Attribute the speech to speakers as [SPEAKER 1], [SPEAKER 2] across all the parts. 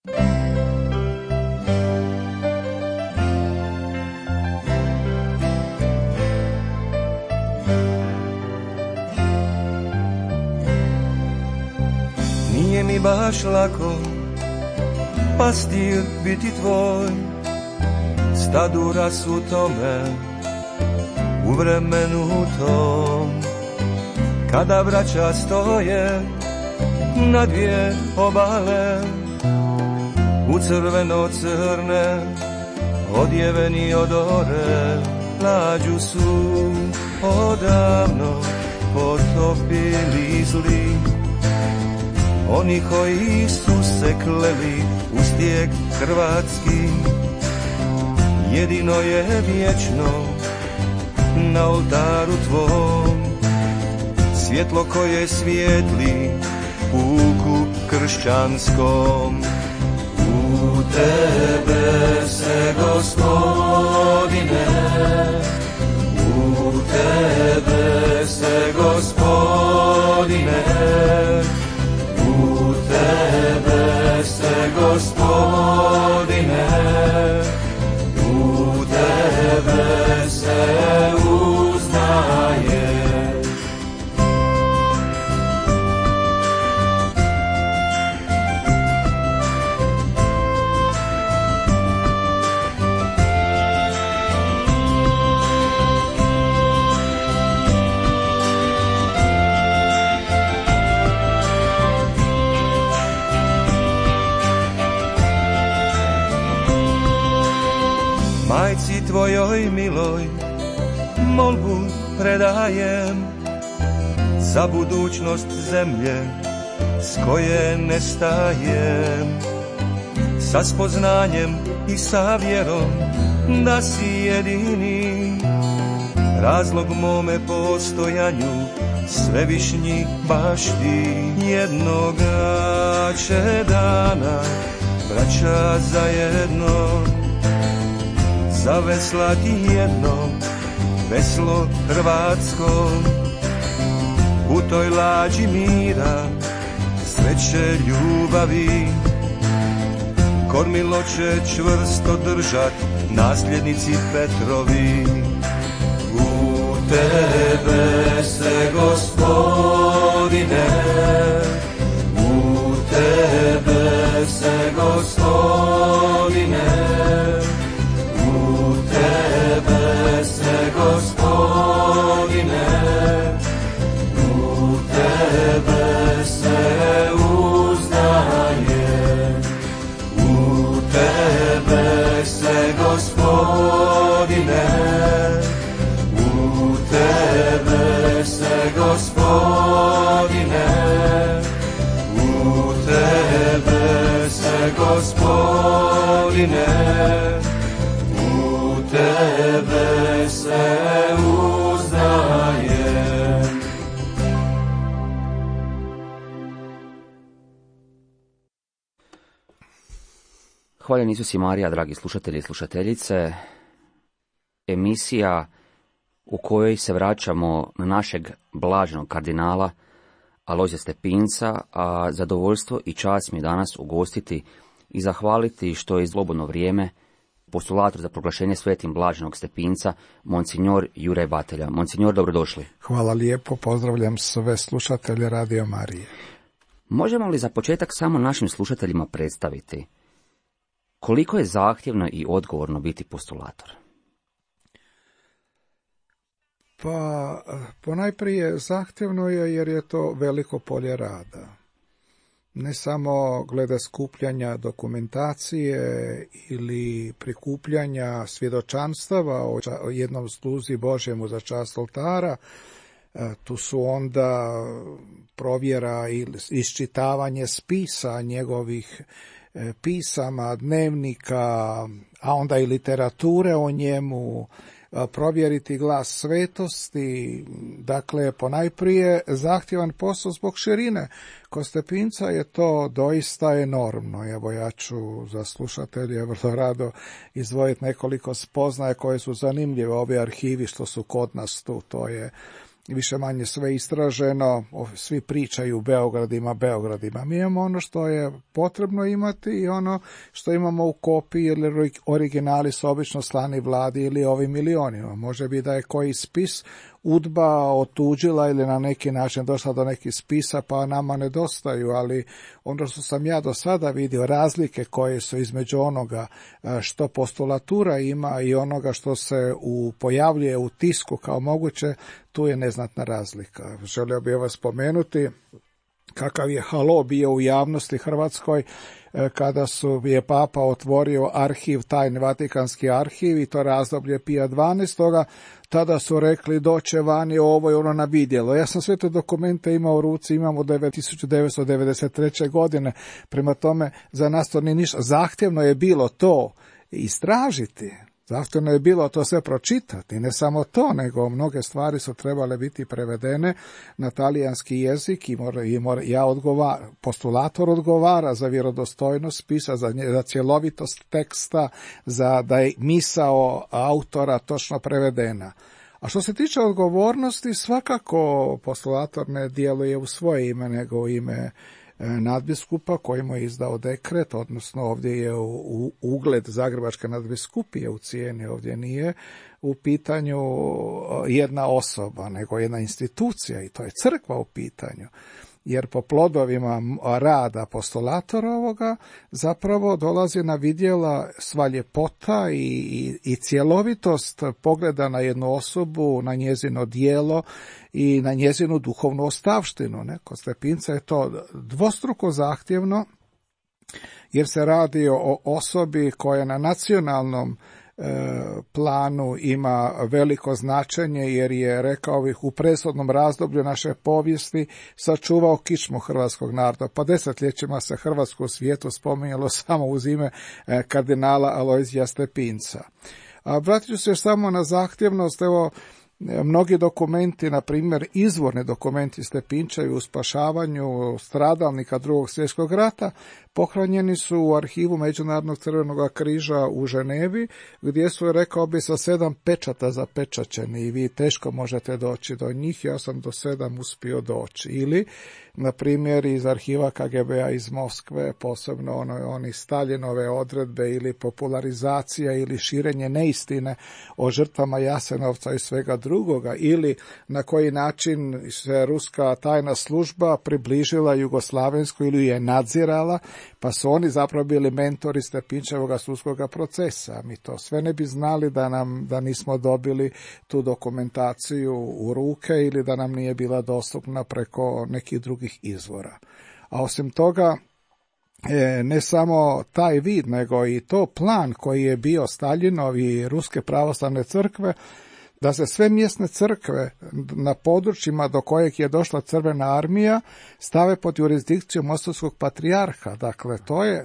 [SPEAKER 1] Nije mi baš lako pastir biti tvoj, stadu rasutome u vremenu tom, kada braća stoje na dvije obale, u crveno-crne odjeveni odore, lađu su odavno potopili zli, oni koji su se kleli u stijeg hrvatski. Jedino je vječno na oltaru tvom svjetlo koje svijetli puku kršćanskom. U tebe se, Gospodine, u tebe se, Gospodine, u tebe se, Gospodine, u tebe se uznaje. Majci tvojoj miloj molbu predajem za budućnost zemlje s koje nestajem, sa spoznanjem i sa vjerom da si jedini razlog mome postojanju, svevišnji baš ti. Jednoga će dana braća zajedno zaveslati jedno veslo hrvatsko, u toj lađi mira, sreće, ljubavi, kormilo će čvrsto držat nasljednici Petrovi. U tebe se, Gospodine, u tebe se, Gospodine, u tebe se, Gospodine, u tebe se uznaje. U tebe se, Gospodine, u tebe se, Gospodine, u tebe se, Gospodine, u tebe se uznaje.
[SPEAKER 2] Hvaljen Isus i Marija, dragi slušatelji i slušateljice, emisija u kojoj se vraćamo na našeg blaženog kardinala Alojzija Stepinca, a zadovoljstvo i čast mi je danas ugostiti i zahvaliti što je slobodno vrijeme postulator za proglašenje svetim blaženog Stepinca, Monsignor Juraj Batelja. Monsignor, dobrodošli.
[SPEAKER 3] Hvala lijepo, pozdravljam sve slušatelje Radio Marije.
[SPEAKER 2] Možemo li za početak samo našim slušateljima predstaviti koliko je zahtjevno i odgovorno biti postulator?
[SPEAKER 3] Pa, ponajprije zahtjevno je jer je to veliko polje rada. Ne samo glede skupljanja dokumentacije ili prikupljanja svjedočanstava o jednom sluzi Božjemu za čast oltara, tu su onda provjera i iščitavanje spisa njegovih pisama, dnevnika, a onda i literature o njemu, provjeriti glas svetosti. Dakle, ponajprije zahtjevan posao zbog širine. Kod Stepinca je to doista enormno. Evo, ja ću za slušatelje vrlo rado izdvojiti nekoliko spoznaja koje su zanimljive. Ovi arhivi što su kod nas tu, to je više manje sve istraženo, svi pričaju Beogradima. Mi imamo ono što je potrebno imati i ono što imamo u kopiji ili originali su obično slani vladi ili ovim milionima. Može biti da je koji spis UDBA otuđila ili na neki način došla do nekih spisa pa nama nedostaju, ali ono što sam ja do sada vidio, razlike koje su između onoga što postulatura ima i onoga što se pojavljuje u tisku kao moguće, tu je neznatna razlika. Želio bih vas spomenuti kakav je halo bio u javnosti hrvatskoj kada je Papa otvorio arhiv, tajni Vatikanski arhiv i to razdoblje Pija 12. Tada su rekli doće vani ovo i ono na vidjelo. Ja sam sve te dokumente imao u ruci, imamo 1993. godine, prema tome za nas to nije ništa. Zahtjevno je bilo to istražiti. Zahtjevno je bilo to sve pročitati, ne samo to, nego mnoge stvari su trebale biti prevedene na talijanski jezik i postulator odgovara za vjerodostojnost spisa, za cjelovitost teksta, za da je misao autora točno prevedena. A što se tiče odgovornosti, svakako postulator ne djeluje u svoje ime, nego u ime nadbiskupa koji mu je izdao dekret, odnosno ovdje je ugled Zagrebačke nadbiskupije u cijeni, ovdje nije u pitanju jedna osoba, nego jedna institucija i to je crkva u pitanju. Jer po plodovima rada postulatora ovoga zapravo dolazi na vidjela sva ljepota i cjelovitost pogleda na jednu osobu, na njezino djelo i na njezinu duhovnu ostavštinu. Kod Stepinca je to dvostruko zahtjevno jer se radi o osobi koja na nacionalnom planu ima veliko značenje jer je, rekao bih, u presudnom razdoblju naše povijesti sačuvao kičmu hrvatskog naroda. Pa desetljećima se Hrvatsko u svijetu spominjalo samo uz ime kardinala Alojzija Stepinca. Vratit ću se još samo na zahtjevnost, evo, mnogi dokumenti, na primjer izvorni dokumenti Stepinčevi u spašavanju stradalnika Drugog svjetskog rata, pohranjeni su u arhivu Međunarodnog crvenog križa u Ženevi, gdje su, rekao bi, sa 7 pečata zapečaćeni i vi teško možete doći do njih, ja sam do 7 uspio doći. Ili, na primjer, iz arhiva KGB-a iz Moskve, posebno oni Staljinove odredbe ili popularizacija ili širenje neistine o žrtvama Jasenovca i svega drugoga, ili na koji način se ruska tajna služba približila jugoslavensku ili je nadzirala, pa su oni zapravo bili mentori Stepinčevoga sudskog procesa. Mi to sve ne bi znali da nismo dobili tu dokumentaciju u ruke ili da nam nije bila dostupna preko nekih drugih izvora. A osim toga, ne samo taj vid, nego i to plan koji je bio Staljinov i Ruske pravoslavne crkve, da se sve mjesne crkve na područjima do kojeg je došla Crvena armija stave pod jurisdikciju Mostovskog patrijarha. Dakle,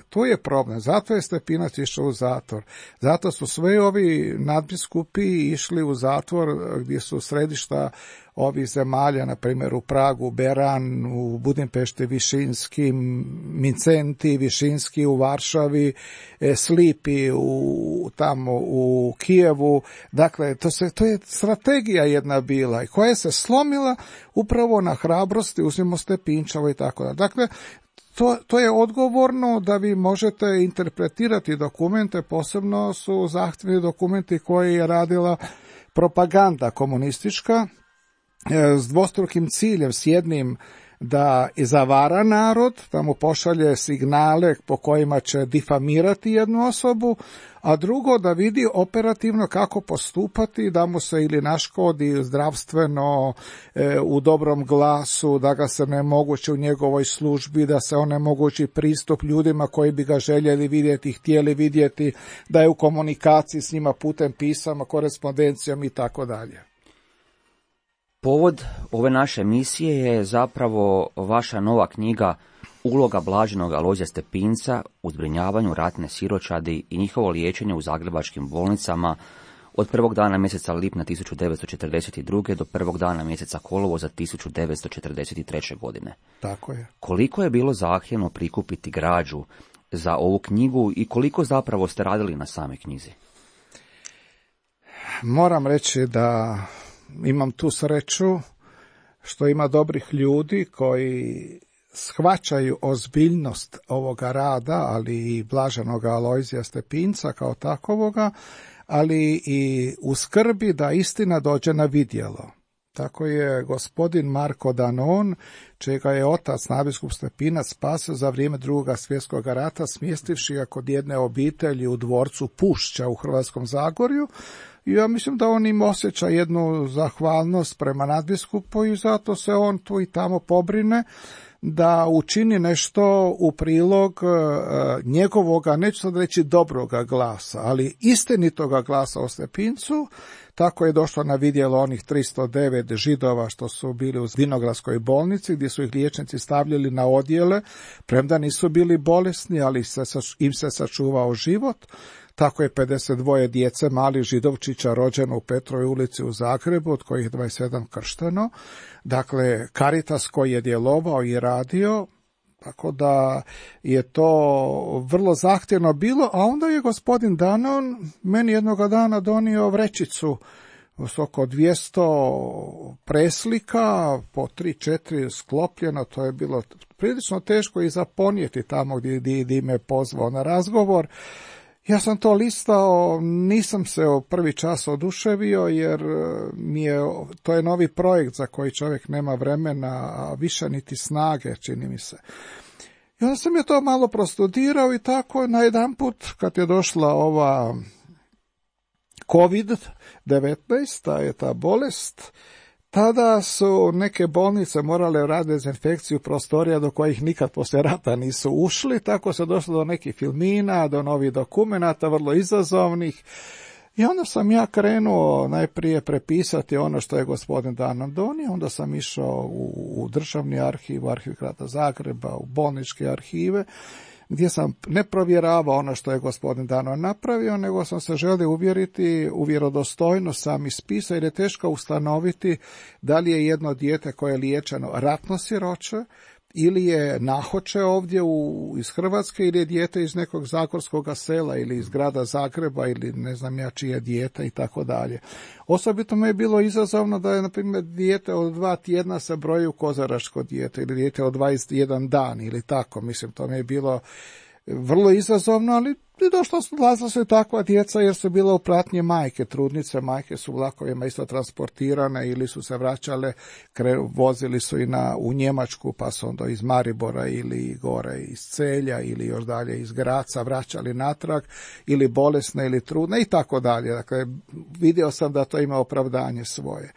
[SPEAKER 3] to je problem. Zato je Stepinac išao u zatvor. Zato su sve ovi nadbiskupi išli u zatvor gdje su središta ovih zemalja, na primjer u Pragu, Beran, u Budimpešti, Višinski, Mincenti, Višinski u Varšavi, Slipi tamo u Kijevu. Dakle, to je strategija jedna bila i koja se slomila upravo na hrabrosti, uzmimo Stepinčevo i tako da. Dakle, to je odgovorno da vi možete interpretirati dokumente, posebno su zahtjevni dokumenti koje je radila propaganda komunistička, s dvostrukim ciljem, s jednim da zavara narod, da mu pošalje signale po kojima će difamirati jednu osobu, a drugo da vidi operativno kako postupati, da mu se ili naškodi zdravstveno, u dobrom glasu, da ga se ne mogući u njegovoj službi, da se onemogući pristup ljudima koji bi ga željeli vidjeti, htjeli vidjeti, da je u komunikaciji s njima putem pisama, korespondencijom i tako dalje.
[SPEAKER 2] Povod ove naše misije je zapravo vaša nova knjiga Uloga blaženog Alojzija Stepinca u zbrinjavanju ratne siročadi i njihovo liječenje u zagrebačkim bolnicama od prvog dana mjeseca lipnja 1942. do prvog dana mjeseca kolovoza 1943. godine.
[SPEAKER 3] Tako je.
[SPEAKER 2] Koliko je bilo zahtjevno prikupiti građu za ovu knjigu i koliko zapravo ste radili na samoj knjizi?
[SPEAKER 3] Moram reći da imam tu sreću što ima dobrih ljudi koji shvaćaju ozbiljnost ovoga rada, ali i blaženoga Alojzija Stepinca kao takovoga, ali i u skrbi da istina dođe na vidjelo. Tako je gospodin Marko Danon, čega je otac nadbiskup Stepinac spasio za vrijeme Drugog svjetskog rata, smjestivši ga kod jedne obitelji u dvorcu Pušća u Hrvatskom Zagorju. I ja mislim da on im osjeća jednu zahvalnost prema nadbiskupu i zato se on tu i tamo pobrine da učini nešto u prilog njegovoga, neću sad reći dobroga glasa, ali istinitoga glasa o Stepincu. Tako je došlo na vidjelo onih 309 Židova što su bili u Vinogradskoj bolnici, gdje su ih liječnici stavljali na odjele, premda nisu bili bolesni, ali im se sačuvao život. Tako je 52 djece malih Židovčića rođeno u Petrovoj ulici u Zagrebu, od kojih 27 kršteno. Dakle, Caritas koji je djelovao i radio, tako da je to vrlo zahtjevno bilo, a onda je gospodin Danon meni jednoga dana donio vrećicu s oko 200 preslika, po 3-4 sklopljeno, to je bilo prilično teško i za ponijeti tamo gdje me pozvao na razgovor. Ja sam to listao, nisam se prvi čas oduševio jer to je novi projekt za koji čovjek nema vremena, a više niti snage, čini mi se. I onda sam je to malo prostudirao i tako najedanput kad je došla ova COVID-19, ta bolest, tada su neke bolnice morale raditi dezinfekciju prostorija do kojih nikad poslije rata nisu ušli, tako se došlo do nekih filmina, do novih dokumenata, vrlo izazovnih. I onda sam ja krenuo najprije prepisati ono što je gospodin Danon donio, onda sam išao u državni arhiv, u arhiv grada Zagreba, u bolničke arhive, gdje sam ne provjeravao ono što je gospodin Danon napravio, nego sam se želio uvjeriti u vjerodostojnost samih spisa, jer je teško ustanoviti da li je jedno dijete koje je liječeno ratno siroče, ili je nahoče ovdje iz Hrvatske, ili je dijete iz nekog zagorskog sela, ili iz grada Zagreba, ili ne znam ja čije dijete i tako dalje. Osobito me je bilo izazovno da je, na primjer, dijete od 2 tjedna se broji u kozaračko dijete, ili dijete od 21 dan, ili tako. Mislim, to mi je bilo vrlo izazovno, ali dolazila su i takva djeca jer su bila u pratnji majke, trudnice, majke su vlakovima isto transportirane ili su se vraćale, vozili su i u Njemačku, pa su onda iz Maribora ili gore iz Celja ili još dalje iz Graca vraćali natrag, ili bolesne ili trudne i tako dalje. Dakle, vidio sam da to ima opravdanje svoje.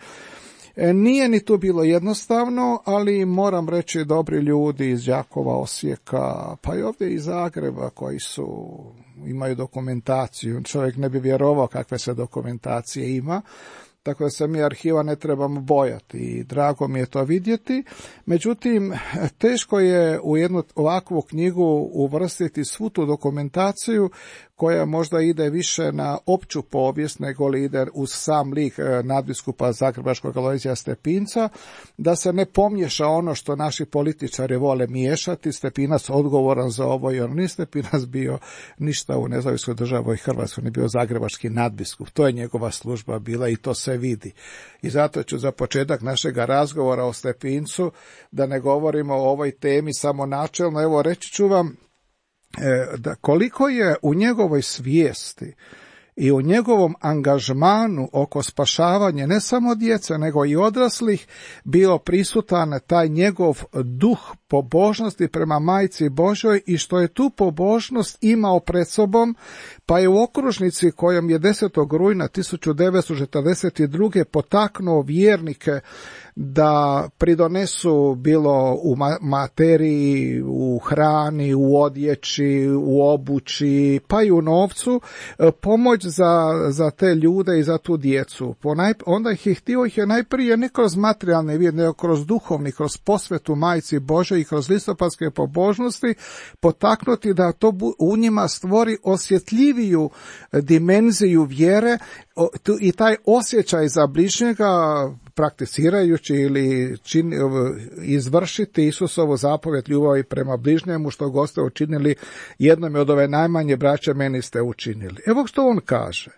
[SPEAKER 3] Nije ni tu bilo jednostavno, ali moram reći dobri ljudi iz Đakova, Osijeka, pa i ovdje iz Zagreba koji imaju dokumentaciju. Čovjek ne bi vjerovao kakve se dokumentacije ima, tako da se mi arhiva ne trebamo bojati i drago mi je to vidjeti. Međutim, teško je u jednu ovakvu knjigu uvrstiti svu tu dokumentaciju koja možda ide više na opću povijest nego li ide uz sam lik nadbiskupa zagrebačkog Alojzija Stepinca, da se ne pomješa ono što naši političari vole miješati. Stepinac odgovoran za ovo i on nije Stepinac bio ništa u nezavisnoj državi Hrvatskoj, ne bio zagrebački nadbiskup. To je njegova služba bila i to se vidi. I zato ću za početak našeg razgovora o Stepincu, da ne govorimo o ovoj temi samo načelno, evo reći ću vam da koliko je u njegovoj svijesti i u njegovom angažmanu oko spašavanja ne samo djece nego i odraslih bio prisutan taj njegov duh pobožnosti prema Majci Božoj i što je tu pobožnost imao pred sobom, pa je u okružnici kojom je 10. rujna 1942. potaknuo vjernike da pridonesu bilo u materiji, u hrani, u odjeći, u obući, pa i u novcu, pomoć za te ljude i za tu djecu. Onda ih je najprije ne kroz materijalne vid, nego kroz duhovni, kroz posvetu Majci Božoj i kroz listopadske pobožnosti potaknuti da to u njima stvori osjetljiviju dimenziju vjere i taj osjećaj za bližnjega, prakticirajući ili izvršiti Isusovu zapovjed ljubavi prema bližnjemu, što god ste učinili jednom od ove najmanje braće, meni ste učinili. Evo što on kaže.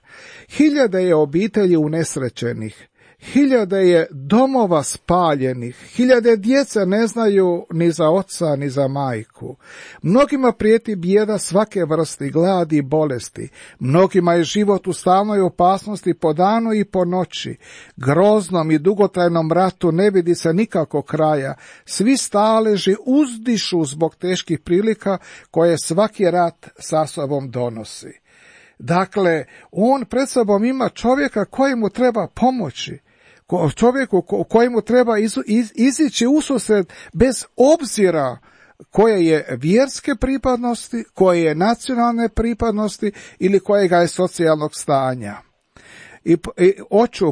[SPEAKER 3] 1000 je obitelji unesrećenih, hiljade je domova spaljenih, hiljade djece ne znaju ni za oca ni za majku. Mnogima prijeti bijeda svake vrste, gladi i bolesti. Mnogima je život u stalnoj opasnosti po danu i po noći. Groznom i dugotrajnom ratu ne vidi se nikako kraja. Svi staleži uzdišu zbog teških prilika koje svaki rat sa sobom donosi. Dakle, on pred sobom ima čovjeka kojemu treba pomoći, čovjeku kojemu treba izići ususret bez obzira koje je vjerske pripadnosti, koje je nacionalne pripadnosti ili kojega je socijalnog stanja. I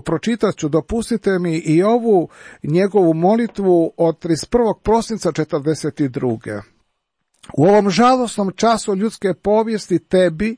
[SPEAKER 3] pročitat ću, dopustite mi i ovu njegovu molitvu od 31. prosinca 1942. U ovom žalosnom času ljudske povijesti tebi,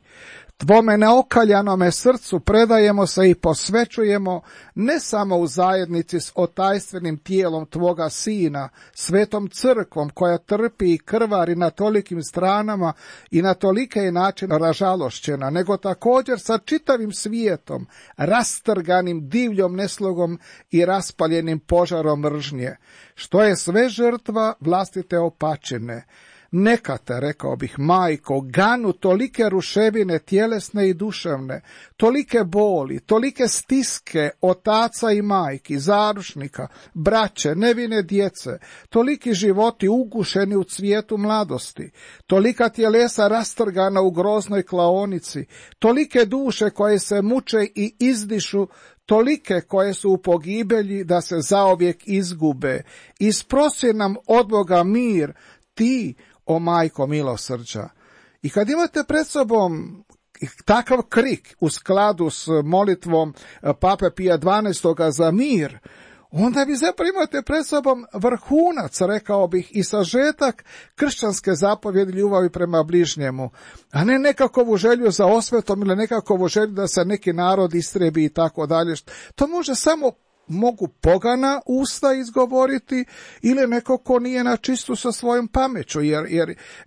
[SPEAKER 3] tvome neokaljanome srcu predajemo se i posvećujemo ne samo u zajednici s otajstvenim tijelom tvoga sina, svetom crkvom koja trpi i krvari na tolikim stranama i na tolike je načina ražalošćena, nego također sa čitavim svijetom, rastrganim divljom neslogom i raspaljenim požarom mržnje, što je sve žrtva vlastite opačine. Neka te, rekao bih, majko, ganu tolike ruševine tjelesne i duševne, tolike boli, tolike stiske otaca i majki, zaručnika, braće, nevine djece, toliki životi ugušeni u cvijetu mladosti, tolika tjelesa rastrgana u groznoj klaonici, tolike duše koje se muče i izdišu, tolike koje su u pogibelji da se zaovijek izgube. Isprosi nam od Boga mir, ti, o majko milosrđa. I kad imate pred sobom takav krik u skladu s molitvom Pape Pija XII. Za mir, onda vi zapravo imate pred sobom vrhunac, rekao bih, i sažetak kršćanske zapovjedi ljubavi prema bližnjemu, a ne nekakvu želju za osvetom ili nekakvu želju da se neki narod istrebi i tako dalje. To može samo mogu pogana usta izgovoriti ili neko ko nije na čistu sa svojom pameću,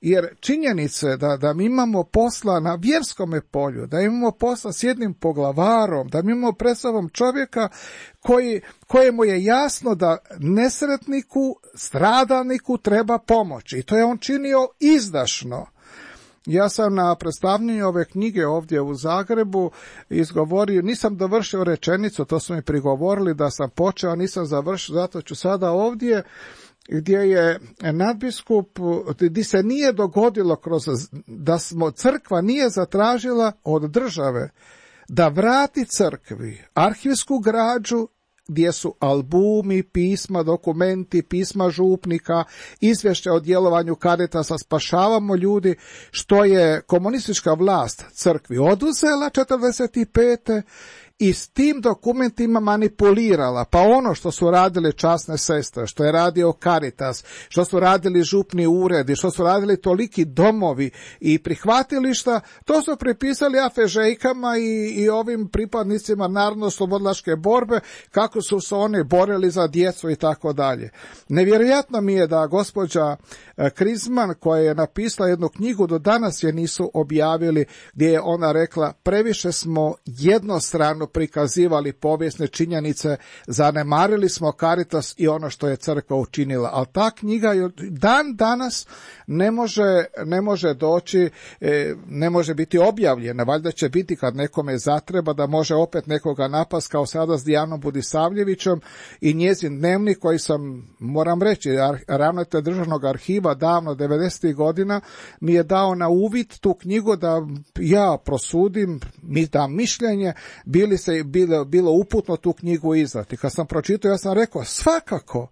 [SPEAKER 3] jer činjenice da mi imamo posla na vjerskome polju, da imamo posla s jednim poglavarom, da mi imamo pred sobom čovjeka kojemu je jasno da nesretniku, stradalniku treba pomoći, i to je on činio izdašno. Ja sam na predstavljanju ove knjige ovdje u Zagrebu izgovorio, nisam dovršio rečenicu, to su mi prigovorili da sam počeo, nisam završio, zato ću sada ovdje, gdje je nadbiskup, gdje se nije dogodilo da crkva nije zatražila od države da vrati crkvi arhivsku građu gdje su albumi, pisma, dokumenti, pisma župnika, izvješća o djelovanju Caritasa Spašavamo ljudi, što je komunistička vlast crkvi oduzela 1945. i s tim dokumentima manipulirala, pa ono što su radile časne sestre, što je radio Caritas, što su radili župni uredi, što su radili toliki domovi i prihvatilišta, to su pripisali afežejkama i ovim pripadnicima narodno-slobodlačke borbe, kako su se oni borili za djecu i tako dalje. Nevjerojatno mi je da gospođa Krizman, koja je napisala jednu knjigu, do danas je nisu objavili, gdje je ona rekla: previše smo jednostrano prikazivali povijesne činjenice, zanemarili smo Caritas i ono što je crkva učinila. Ali ta knjiga dan danas ne može doći, ne može biti objavljena. Valjda će biti kad nekome zatreba, da može opet nekoga napast, kao sada s Dijanom Budisavljevićem, i njezin dnevnik koji sam, moram reći, ravnatelj državnog arhiva davno 90. godina mi je dao na uvid tu knjigu da ja prosudim, mi dam mišljenje, bilo uputno tu knjigu izdati. Kad sam pročitao, ja sam rekao, svakako,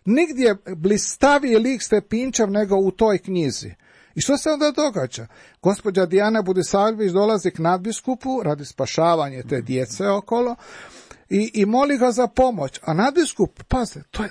[SPEAKER 3] nigdje blistaviji lik Stepinčev nego u toj knjizi. I što se onda događa? Gospođa Dijana Budisavljević dolazi k nadbiskupu radi spašavanja te djece okolo i moli ga za pomoć. A nadbiskup, pazite,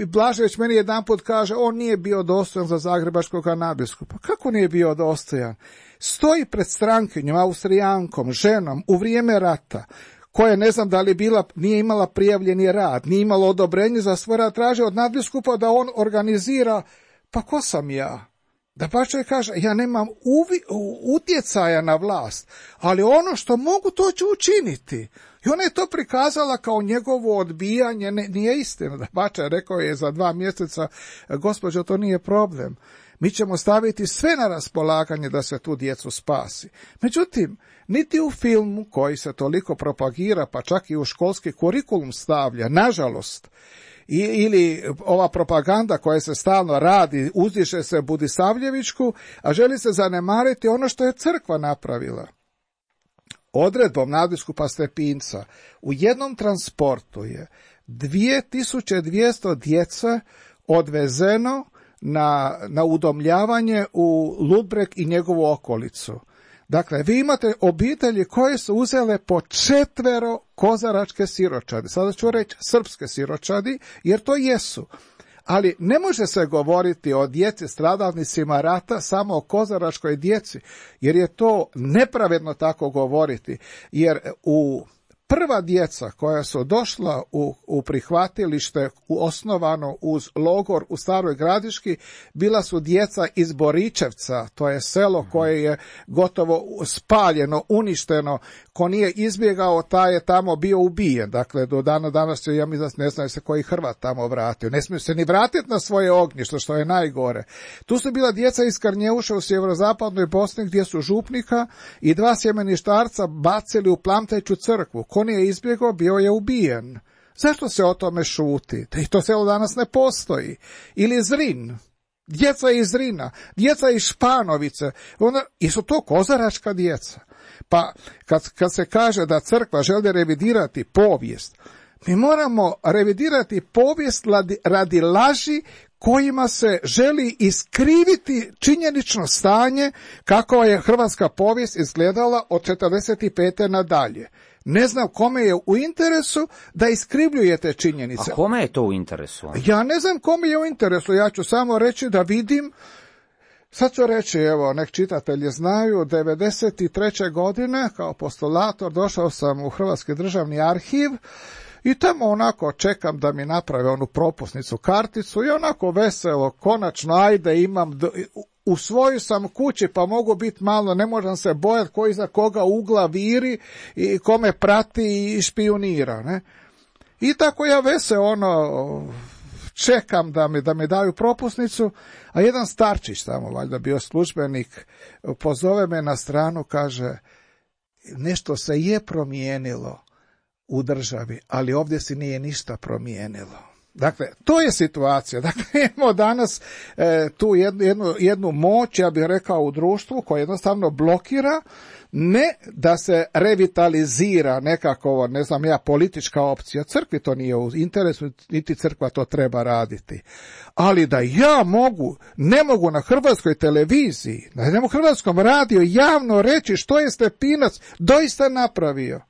[SPEAKER 3] Blažević meni jedanput kaže, on nije bio dostojan za zagrebačkog nadbiskupa. Kako nije bio dostojan? Stoji pred strankinjom, Austrijankom, ženom, u vrijeme rata, koja ne znam da li nije imala prijavljeni rad, nije imala odobrenje za svoj rad, traže od nadbiskupa da on organizira. Pa ko sam ja? Da pa čovjek kaže, ja nemam utjecaja na vlast, ali ono što mogu, to ću učiniti. I ona je to prikazala kao njegovo odbijanje, nije istina. Da pa rekao je za 2 mjeseca, gospođo, to nije problem. Mi ćemo staviti sve na raspolaganje da se tu djecu spasi. Međutim, niti u filmu koji se toliko propagira, pa čak i u školski kurikulum stavlja, nažalost, ili ova propaganda koja se stalno radi, uzdiše se Budisavljevićku, a želi se zanemariti ono što je crkva napravila. Odredbom nadbiskupa Stepinca u jednom transportu je 2200 djece odvezeno na udomljavanje u Ludbreg i njegovu okolicu. Dakle, vi imate obitelji koje su uzele po 4 kozaračke siročadi. Sada ću reći srpske siročadi, jer to jesu. Ali ne može se govoriti o djeci stradalnicima rata samo o kozaračkoj djeci, jer je to nepravedno tako govoriti. Jer prva djeca koja su došla u prihvatilište osnovano uz logor u Staroj Gradiški bila su djeca iz Boričevca, to je selo koje je gotovo spaljeno, uništeno. Ko nije izbjegao, taj je tamo bio ubijen. Dakle, do dana danas ja mislim, ne znaju se koji Hrvat tamo vratio. Ne smiju se ni vratiti na svoje ognjište, što je najgore. Tu su bila djeca iz Karnjeuša u sjeverozapadnoj Bosni, gdje su župnika i 2 sjemeništarca bacili u Plamteću crkvu. Ko nije izbjegao, bio je ubijen. Zašto se o tome šuti? I to selo danas ne postoji. Ili Zrin. Djeca iz Zrina, djeca iz Španovice. I su to kozaračka djeca. Pa kad se kaže da crkva želi revidirati povijest, mi moramo revidirati povijest radi laži kojima se želi iskriviti činjenično stanje kako je hrvatska povijest izgledala od 45. nadalje. Ne znam kome je u interesu da iskrivljujete činjenice.
[SPEAKER 2] A kome je to u interesu?
[SPEAKER 3] Ja ne znam kome je u interesu, ja ću samo reći da vidim. Sad ću reći, evo, nek čitatelji znaju, 1993. godine kao postulator došao sam u Hrvatski državni arhiv i tamo onako čekam da mi naprave onu propusnicu, karticu i onako veselo, konačno, ajde, imam, u svojoj sam kući pa mogu biti malo, ne možem se bojati ko iza koga ugla viri i kome prati i špijunira, ne? I tako ja čekam da mi daju propusnicu, a jedan starčić tamo, valjda bio službenik, pozove me na stranu, kaže, nešto se je promijenilo u državi, ali ovdje se nije ništa promijenilo. Dakle, to je situacija. Dakle, imamo danas tu jednu moć, ja bih rekao, u društvu koja jednostavno blokira, ne da se revitalizira nekako, ne znam ja, politička opcija. Crkvi to nije u interesu, niti crkva to treba raditi. Ali da ja ne mogu na hrvatskoj televiziji, na hrvatskom radiju javno reći što je Stepinac doista napravio.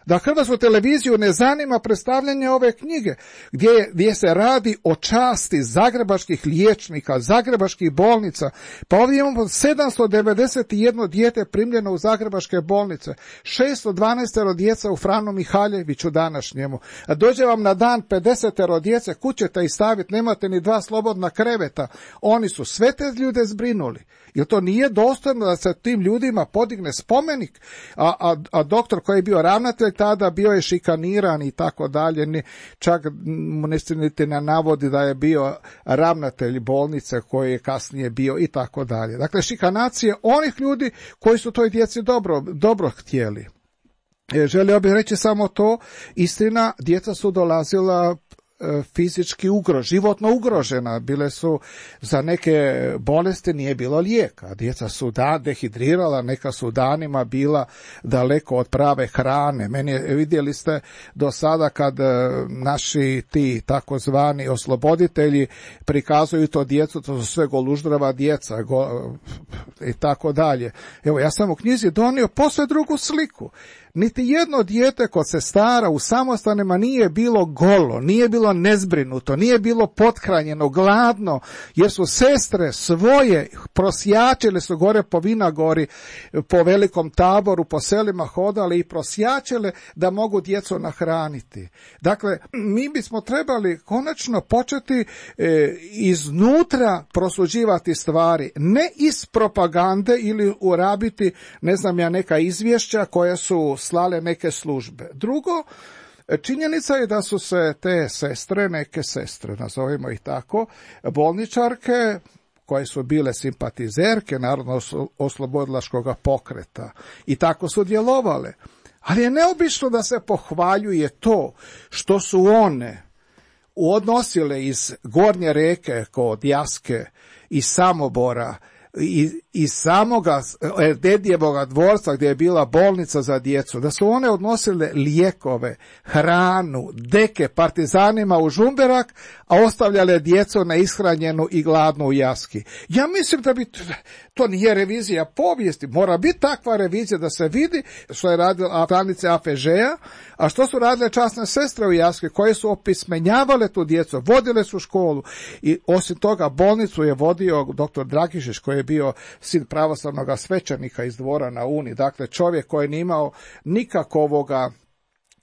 [SPEAKER 3] Da hrvatsku televiziju ne zanima predstavljanje ove knjige, gdje se radi o časti zagrebačkih liječnika, zagrebačkih bolnica. Pa ovdje imamo 791 dijete primljeno u zagrebačke bolnice, 612 djeca u Franu Mihaljeviću današnjemu. A dođe vam na dan 50 djece, kućete ih staviti, nemate ni 2 slobodna kreveta. Oni su sve te ljude zbrinuli. Jer to nije dostojno da se tim ljudima podigne spomenik, a doktor koji je bio ravnatelj tada bio je šikaniran i tako dalje, čak mu niti ne navodi da je bio ravnatelj bolnice koji je kasnije bio i tako dalje. Dakle, šikanacije onih ljudi koji su toj djeci dobro htjeli. Želio bih reći samo to, istina, djeca su dolazila fizički životno ugrožena, bile su za neke bolesti nije bilo lijeka, djeca su dehidrirala, neka su danima bila daleko od prave hrane. Vidjeli ste do sada kad naši ti takozvani osloboditelji prikazuju to djecu, to su sve goluždrava djeca i tako dalje. Evo, ja sam u knjizi donio posve drugu sliku. Niti jedno dijete kod sestara u samostanima nije bilo golo, nije bilo bilo nezbrinuto, nije bilo pothranjeno, gladno, jer su sestre svoje prosjačile su gore po Vinagori, po Velikom Taboru, po selima hodale i prosjačile da mogu djecu nahraniti. Dakle, mi bismo trebali konačno početi iznutra prosuđivati stvari, ne iz propagande ili urabiti, ne znam ja, neka izvješća koje su slale neke službe. Drugo, činjenica je da su se te sestre, neke sestre, nazovimo ih tako, bolničarke, koje su bile simpatizerke Narodno-oslobodilačkog pokreta i tako su djelovale. Ali je neobično da se pohvaljuje to što su one odnosile iz Gornje Reke kod Jaske, iz Samobora, iz samoga Dedjevoga dvorca gdje je bila bolnica za djecu, da su one odnosile lijekove, hranu, deke partizanima u Žumberak, a ostavljale djecu neishranjenu i gladnu u Jaski. Ja mislim da bi to nije revizija povijesti, mora biti takva revizija da se vidi što je radila stranice AFŽ-a, a što su radile časne sestre u Jaski, koje su opismenjavale tu djecu, vodile su školu i osim toga bolnicu je vodio dr. Dragišić, koji je bio sin pravoslavnog svećenika iz Dvora na Uni, dakle čovjek koji nije imao nikakvoga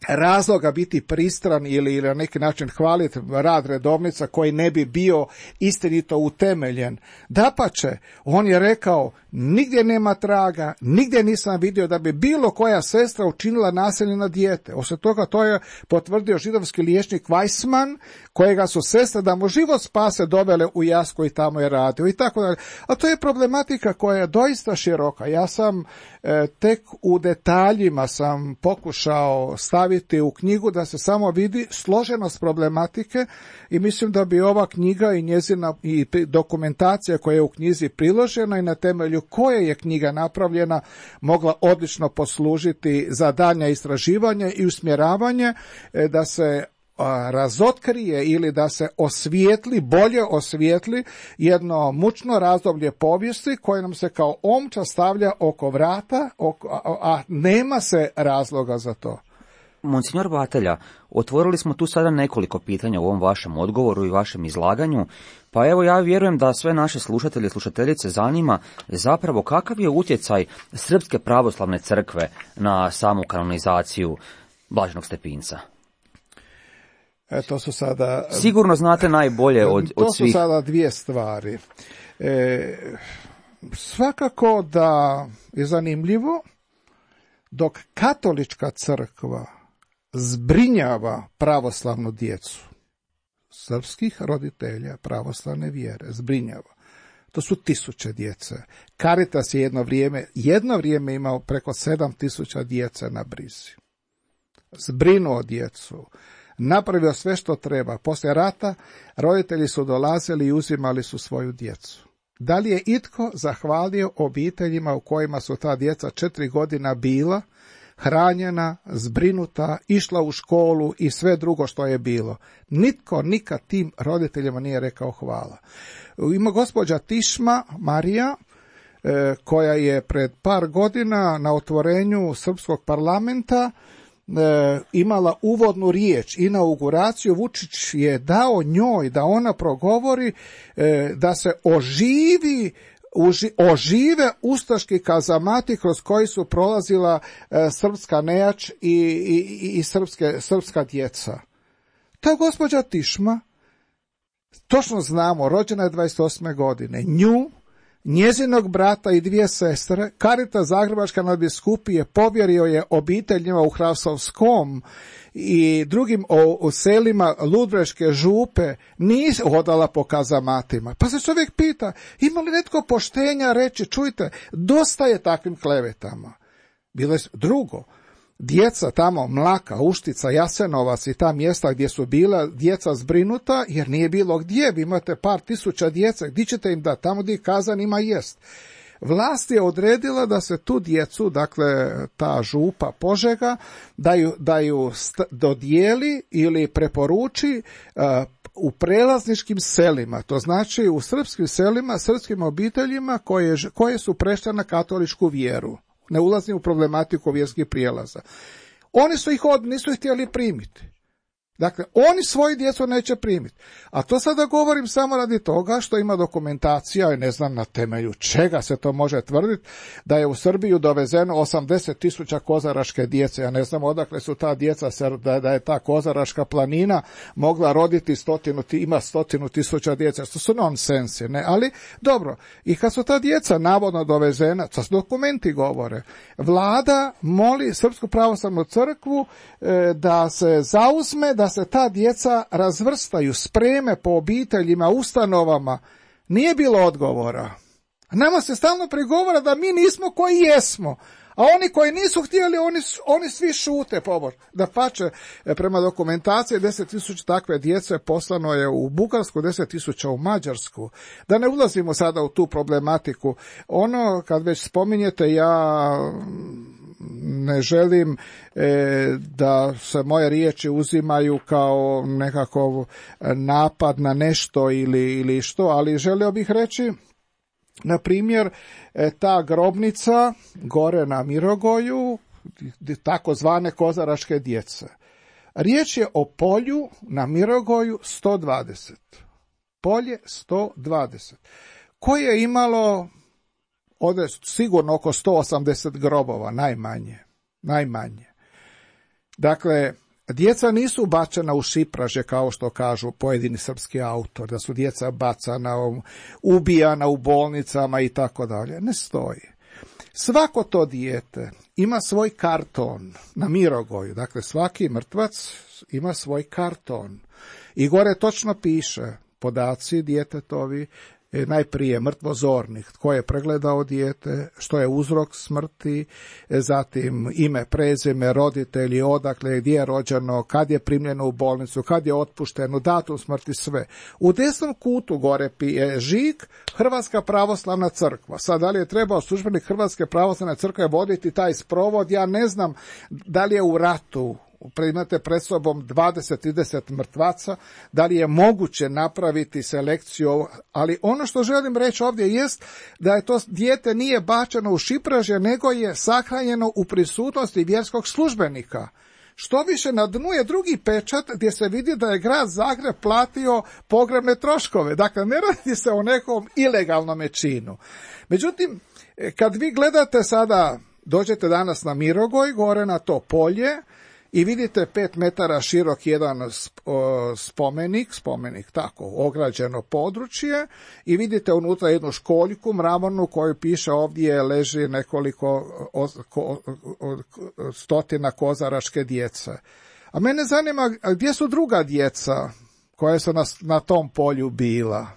[SPEAKER 3] razloga biti pristran ili na neki način hvaliti rad redovnica koji ne bi bio istinito utemeljen. Dapače, on je rekao, nigdje nema traga, nigdje nisam vidio da bi bilo koja sestra učinila nasilje na dijete. Osim toga, to je potvrdio židovski liječnik Weissman, kojega su sestre da mu život spase dovele u Jasku i tamo je radio i tako dalje. A to je problematika koja je doista široka. Ja sam tek u detaljima sam pokušao staviti u knjigu da se samo vidi složenost problematike i mislim da bi ova knjiga i njezina i dokumentacija koja je u knjizi priložena i na temelju koje je knjiga napravljena mogla odlično poslužiti za daljnja istraživanje i usmjeravanje da se razotkrije ili da se osvijetli, bolje osvijetli jedno mučno razdoblje povijesti koje nam se kao omča stavlja oko vrata, a nema se razloga za to.
[SPEAKER 2] Monsignor Batelja, otvorili smo tu sada nekoliko pitanja u ovom vašem odgovoru i vašem izlaganju, pa evo ja vjerujem da sve naše slušatelje i slušateljice zanima zapravo kakav je utjecaj Srpske pravoslavne crkve na samu kanonizaciju Blaženog Stepinca.
[SPEAKER 3] To su sada...
[SPEAKER 2] Sigurno znate najbolje od svih.
[SPEAKER 3] To su sada dvije stvari. Svakako da je zanimljivo dok katolička crkva zbrinjava pravoslavnu djecu, srpskih roditelja pravoslavne vjere, zbrinjava. To su 1000 djece. Caritas je jedno vrijeme imao preko 7000 djece na brizi. Zbrinuo djecu, napravio sve što treba. Poslije rata roditelji su dolazili i uzimali su svoju djecu. Da li je itko zahvalio obiteljima u kojima su ta djeca 4 godina bila, hranjena, zbrinuta, išla u školu i sve drugo što je bilo? Nitko nikad tim roditeljima nije rekao hvala. Ima gospođa Tišma Marija, koja je pred par godina na otvorenju Srpskog parlamenta imala uvodnu riječ, inauguraciju. Vučić je dao njoj da ona progovori da se ožive ustaški kazamati kroz koji su prolazila srpska nejač i srpska djeca. Ta gospođa Tišma, točno znamo, rođena je 28. godine, nju, njezinog brata i 2 sestre, Caritas Zagrebačka nadbiskupije povjerio je obiteljima u Hrasovskom i drugim u selima Ludbreške župe, nije hodala po kazamatima. Pa se čovjek pita, ima li netko poštenja reći, čujte, dosta je takvim klevetama. Drugo, djeca tamo, Mlaka, Uštica, Jasenovac i ta mjesta gdje su bila djeca zbrinuta, jer nije bilo gdje, vi imate par tisuća djece, gdje ćete im dati? Tamo gdje kazan ima jest. Vlast je odredila da se tu djecu, dakle ta župa Požega, da ju dodijeli ili preporuči u prelazničkim selima, to znači u srpskim selima, srpskim obiteljima koje su prešle na katoličku vjeru. Ne ulazim u problematiku vjerskih prijelaza. Oni su ih nisu ih htjeli primiti. Dakle, oni svoju djecu neće primiti. A to sada govorim samo radi toga što ima dokumentacija, i ne znam na temelju čega se to može tvrditi, da je u Srbiju dovezeno 80.000 kozaraške djece. Ja ne znam odakle su ta djeca, da je ta kozaraška planina mogla roditi ima 100.000 djece. To su nonsensi, ne? Ali, dobro, i kad su ta djeca navodno dovezena, to dokumenti govore, vlada moli Srpsku pravoslavnu crkvu da se zauzme, da se ta djeca razvrstaju, spreme po obiteljima, ustanovama. Nije bilo odgovora. Nama se stalno prigovara da mi nismo koji jesmo, a oni koji nisu htjeli, oni svi šute pobor. Da pače, prema dokumentaciji 10.000 takve djece poslano je u Bugarsku, 10.000 u Mađarsku. Da ne ulazimo sada u tu problematiku. Ono, kad već spominjete, ja ne želim da se moje riječi uzimaju kao nekakav napad na nešto ili što, ali želio bih reći, na primjer, ta grobnica gore na Mirogoju, takozvane kozaraške djece. Riječ je o polju na Mirogoju 120. Polje 120. Koje je imalo ovdje sigurno oko 180 grobova, najmanje. Dakle, djeca nisu bačena u šipraže kao što kažu pojedini srpski autori, da su djeca bacana, ubijana u bolnicama i tako dalje. Ne stoji. Svako to dijete ima svoj karton na Mirogoju, dakle svaki mrtvac ima svoj karton. I gore točno piše podaci djetetovi, najprije mrtvozornik, tko je pregledao dijete, što je uzrok smrti, zatim ime, prezime, roditelji, odakle, gdje je rođeno, kad je primljeno u bolnicu, kad je otpušteno, datum smrti, sve. U desnom kutu gore je žig Hrvatska pravoslavna crkva. Sad, da li je trebao službenik Hrvatske pravoslavne crkve voditi taj sprovod, ja ne znam da li je u ratu, imate pred sobom 20-30 mrtvaca, da li je moguće napraviti selekciju, ali ono što želim reći ovdje jest da je to dijete nije bačeno u šipraže, nego je sahranjeno u prisutnosti vjerskog službenika. Što više, na dnu je drugi pečat gdje se vidi da je grad Zagreb platio pogrebne troškove. Dakle, ne radi se o nekom ilegalnom činu. Međutim, kad vi gledate sada, dođete danas na Mirogoj, gore na to polje, i vidite 5 metara širok jedan spomenik, tako, ograđeno područje, i vidite unutra jednu školjku mramornu koju piše ovdje leži nekoliko stotina kozaraške djece. A mene zanima gdje su druga djeca koja su na tom polju bila.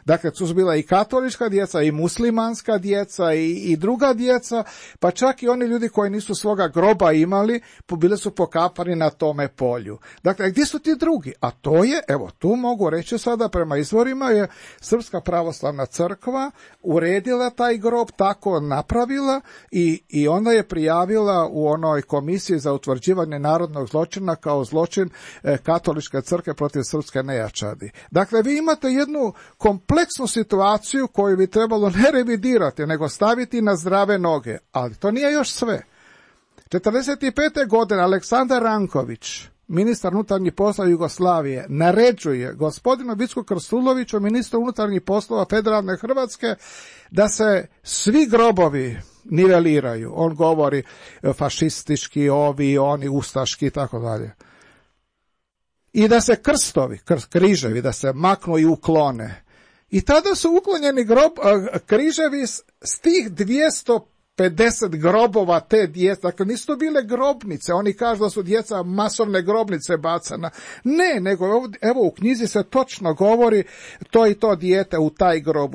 [SPEAKER 3] Dakle, tu su bila i katolička djeca, i muslimanska djeca, i druga djeca, pa čak i oni ljudi koji nisu svoga groba imali, bili su pokapani na tome polju. Dakle, gdje su ti drugi? A to je, evo, tu mogu reći sada prema izvorima, je Srpska pravoslavna crkva uredila taj grob, tako napravila, i onda je prijavila u onoj komisiji za utvrđivanje narodnog zločina kao zločin katoličke crkve protiv srpske nejačadi. Dakle, vi imate jednu kompleksnu situaciju koju bi trebalo ne revidirati, nego staviti na zdrave noge. Ali to nije još sve. 1945. godine Aleksandar Ranković, ministar unutarnjih poslova Jugoslavije, naređuje gospodinu Vicku Krstuloviću, ministru unutarnjih poslova federalne Hrvatske, da se svi grobovi niveliraju. On govori fašistički, ovi, oni, ustaški i tako dalje. I da se krstovi, križevi, da se maknu i uklone. I tada su uklonjeni križevi s tih 250 grobova te djece. Dakle, nisu to bile grobnice. Oni kažu da su djeca masovne grobnice bacana. Ne, nego evo u knjizi se točno govori to i to dijete u taj grob.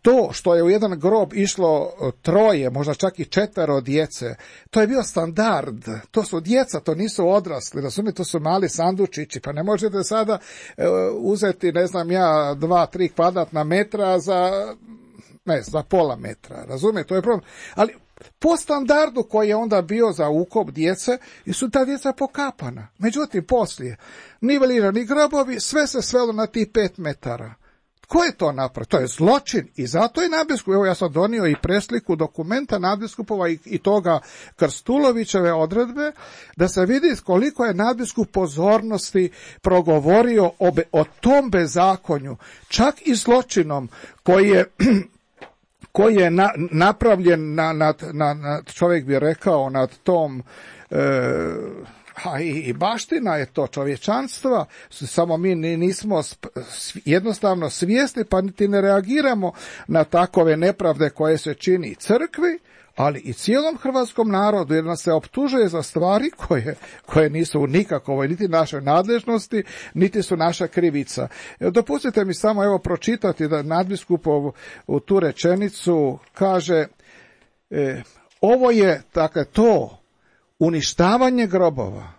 [SPEAKER 3] To što je u jedan grob išlo 3, možda čak i 4 djece, to je bio standard. To su djeca, to nisu odrasli. Razumijete, to su mali sandučići. Pa ne možete sada uzeti, ne znam ja, 2-3 kvadratna metra za pola metra, razumijete, to je problem. Ali po standardu koji je onda bio za ukop djece, i su ta djeca pokapana. Međutim, poslije, nivelirani grobovi, sve se svelo na tih 5 metara. Tko je to napravio? To je zločin i zato je nadbiskup, evo ja sam donio i presliku dokumenta nadbiskupova i toga Krstulovićeve odredbe, da se vidi koliko je nadbiskup pozornosti progovorio o tom bezakonju, čak i zločinom koji je napravljen na čovjek bi rekao nad tom i baština je to čovječanstva, samo mi nismo jednostavno svjesni pa niti ne reagiramo na takove nepravde koje se čini crkvi, ali i cijelom hrvatskom narodu, jer nas se optužuje za stvari koje nisu u nikakvoj niti našoj nadležnosti, niti su naša krivica. Dopustite mi samo evo pročitati da nadbiskupov u tu rečenicu kaže ovo je dakle to uništavanje grobova,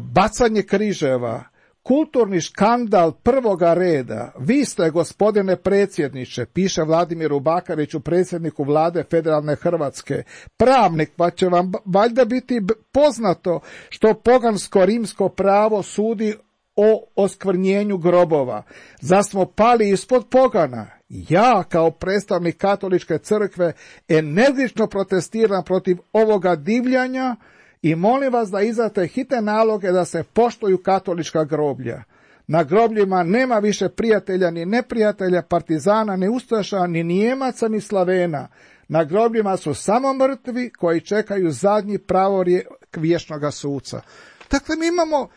[SPEAKER 3] bacanje križeva, kulturni škandal prvoga reda. Vi ste, gospodine predsjedniče, piše Vladimiru Bakariću, predsjedniku vlade Federalne Hrvatske, pravnik, pa će vam valjda biti poznato što pogansko-rimsko pravo sudi o oskvrnjenju grobova. Zar smo pali ispod pogana? Ja, kao predstavnik katoličke crkve, energično protestiram protiv ovoga divljanja i molim vas da izdate hitne naloge da se poštuju katolička groblja. Na grobljima nema više prijatelja ni neprijatelja, partizana, ni ustaša, ni Nijemaca, ni Slavena. Na grobljima su samo mrtvi koji čekaju zadnji pravorijek vječnoga suca. Dakle, mi imamo,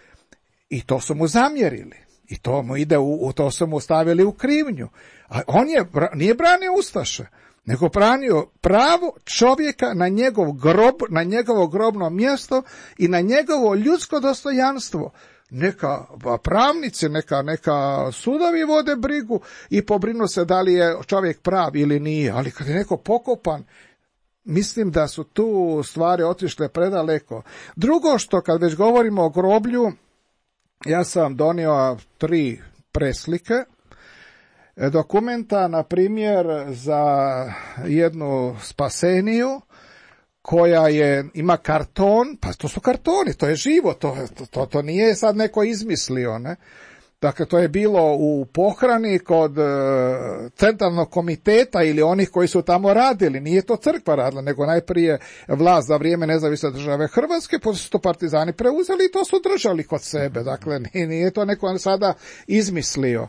[SPEAKER 3] i to su mu zamjerili, i to mu ide to su mu stavili u krivnju. A on nije branio ustaše, nego branio pravo čovjeka na njegov grob, na njegovo grobno mjesto i na njegovo ljudsko dostojanstvo. Neka pravnici, neka sudovi vode brigu i pobrinu se da li je čovjek prav ili nije, ali kad je neko pokopan, mislim da su tu stvari otišle predaleko. Drugo što, kad već govorimo o groblju, ja sam donio 3 preslike dokumenta, na primjer za jednu Spaseniju koja ima karton, pa to su kartoni, to je živo, to nije sad neko izmislio, ne? Dakle, to je bilo u pohrani kod centralnog komiteta ili onih koji su tamo radili. Nije to crkva radila, nego najprije vlast za vrijeme nezavisne države Hrvatske, pa su to partizani preuzeli i to su držali kod sebe. Dakle, nije to neko sada izmislio.